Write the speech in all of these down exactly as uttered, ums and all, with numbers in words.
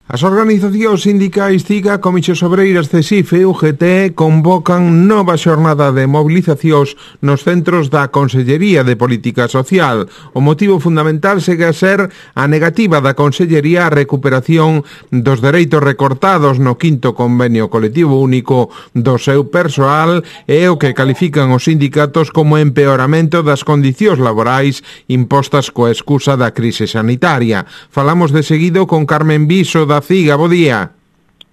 As organizacións sindicais CIGA, Comichos Obreiras, CESIF e U G T convocan nova xornada de mobilizacións nos centros da Consellería de Política Social. O motivo fundamental segue a ser a negativa da Consellería á recuperación dos dereitos recortados no quinto convenio colectivo único do seu persoal e o que califican os sindicatos como empeoramento das condicións laborais impostas coa excusa da crise sanitaria. Falamos de seguido con Carmen Viso da CIGA. Bo día.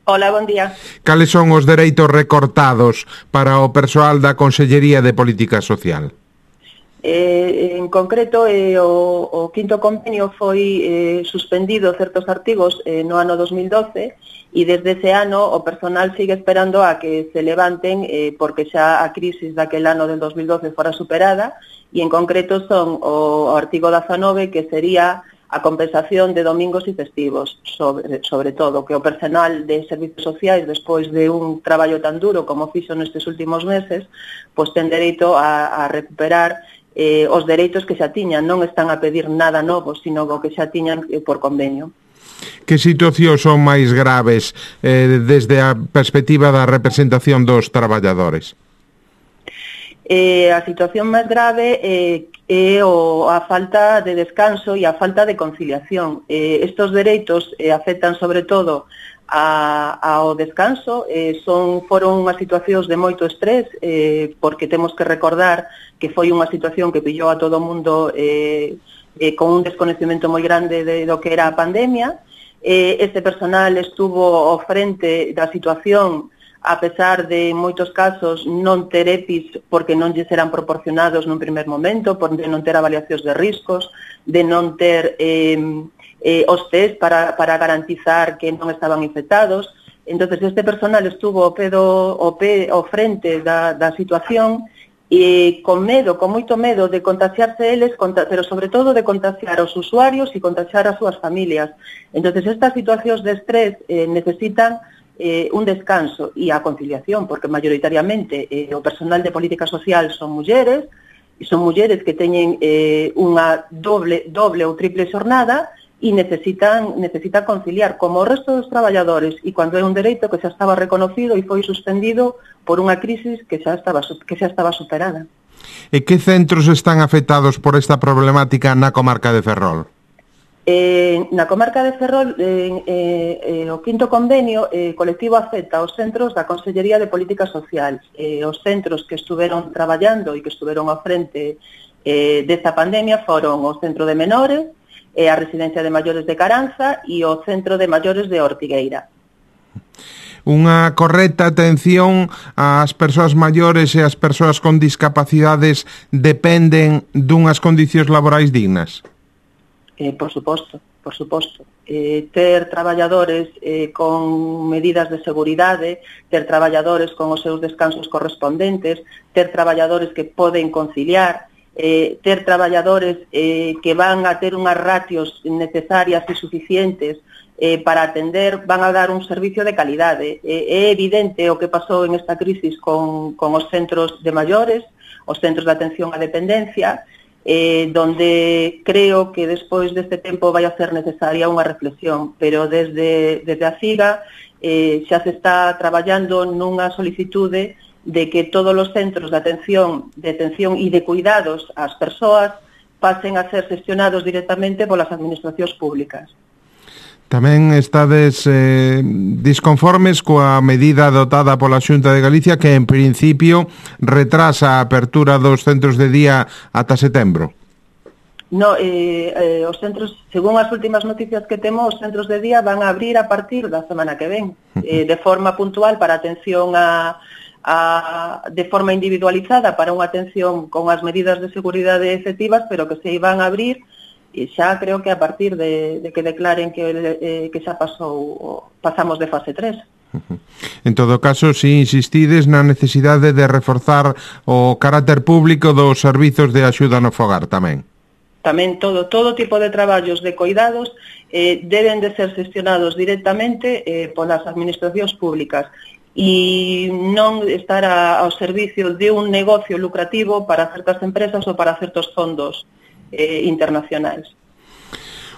Hola, bon día. Cales son os dereitos recortados para o persoal da Consellería de Política Social? Eh, en concreto, eh, o, o quinto convenio foi eh, suspendido certos artigos eh, no ano dos mil doce e desde ese ano o personal sigue esperando a que se levanten eh, porque xa a crisis daquel ano del dos mil doce fora superada e en concreto son o, o artigo dezanove que sería a compensación de domingos e festivos, sobre, sobre todo, que o personal de servicios sociais, despois de un traballo tan duro como fixo nestes últimos meses, pois ten dereito a, a recuperar eh, os dereitos que xa tiñan, non están a pedir nada novo, sino o que xa tiñan eh, por convenio. Que situacións son máis graves eh, desde a perspectiva da representación dos traballadores? Eh, a situación máis grave eh, é o, a falta de descanso e a falta de conciliación. Eh, estos dereitos eh, afectan sobre todo a, ao descanso, eh, son foron unhas situacións de moito estrés, eh, porque temos que recordar que foi unha situación que pillou a todo o mundo eh, eh, con un desconocimento moi grande de, do que era a pandemia. Eh, este personal estuvo ao frente da situación a pesar de, en moitos casos, non ter E P Is porque non lles eran proporcionados nun primer momento, por de non ter avaliacións de riscos, de non ter eh, eh, os test para, para garantizar que non estaban infectados. Entonces este personal estuvo ao pé do, ao pé, ao frente da, da situación e con medo, con moito medo de contagiarse eles, pero sobre todo de contagiar aos usuarios e contagiar as súas familias. Entonces estas situacións de estrés eh, necesitan Eh, un descanso e a conciliación, porque maioritariamente eh, o personal de política social son mulleres, e son mulleres que teñen eh, unha doble, doble ou triple xornada e necesitan, necesitan conciliar como o resto dos traballadores, e cando é un dereito que xa estaba reconocido e foi suspendido por unha crisis que xa estaba, que xa estaba superada. E que centros están afectados por esta problemática na comarca de Ferrol? Eh, na comarca de Ferrol, eh, eh, o quinto convenio eh, colectivo afecta aos centros da Consellería de Política Social, eh, os centros que estuveron traballando e que estuveron ao frente eh, desta pandemia foron o Centro de Menores, eh, a Residencia de Maiores de Caranza e o Centro de Maiores de Ortigueira. Unha correcta atención ás persoas maiores e ás persoas con discapacidades dependen dunhas condicións laborais dignas? Eh, por suposto, por suposto. Eh, ter traballadores eh, con medidas de seguridade, ter traballadores con os seus descansos correspondentes, ter traballadores que poden conciliar, eh, ter traballadores eh, que van a ter unhas ratios necesarias e suficientes eh, para atender, van a dar un servicio de calidade. Eh, é evidente o que pasou en esta crisis con, con os centros de maiores, os centros de atención á dependencia, Eh, donde creo que despois deste tempo vai a ser necesaria unha reflexión, pero desde, desde a CIGA eh, xa se está traballando nunha solicitude de que todos os centros de atención, de atención e de cuidados ás persoas pasen a ser xestionados directamente polas administracións públicas. Tamén estades eh, disconformes coa medida adotada pola Xunta de Galicia que en principio retrasa a apertura dos centros de día ata setembro. No, eh, eh, os centros, según as últimas noticias que temos, os centros de día van a abrir a partir da semana que ven, eh, de forma puntual para atención a, a de forma individualizada para unha atención con as medidas de seguridade efectivas, pero que se iban a abrir e xa creo que a partir de, de que declaren que, eh, que xa pasou, pasamos de fase tres. En todo caso, si insistides na necesidade de reforzar o carácter público dos servizos de axuda no fogar tamén. Tamén todo, todo tipo de traballos de cuidados eh, deben de ser xestionados directamente eh, polas administracións públicas e non estar a, ao servicio de un negocio lucrativo para certas empresas ou para certos fondos eh, internacionais.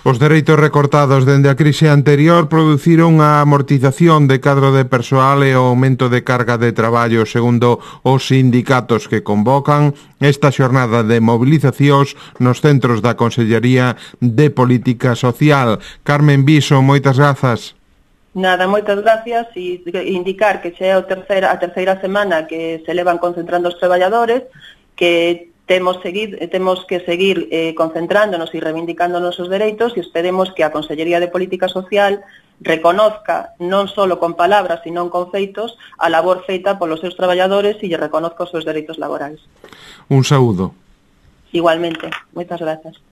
Os dereitos recortados dende a crise anterior produciron a amortización de cadro de persoal e o aumento de carga de traballo, segundo os sindicatos que convocan esta xornada de mobilizacións nos centros da Consellería de Política Social. Carmen Viso, moitas grazas. Nada, moitas gracias, e indicar que xa é a terceira, a terceira semana que se levan concentrando os traballadores, que temos, seguir, temos que seguir eh, concentrándonos e reivindicando nosos dereitos, e esperemos que a Consellería de Política Social reconozca, non só con palabras, sino con feitos, a labor feita polos seus traballadores e lle reconozca os seus dereitos laborais. Un saúdo. Igualmente, moitas grazas.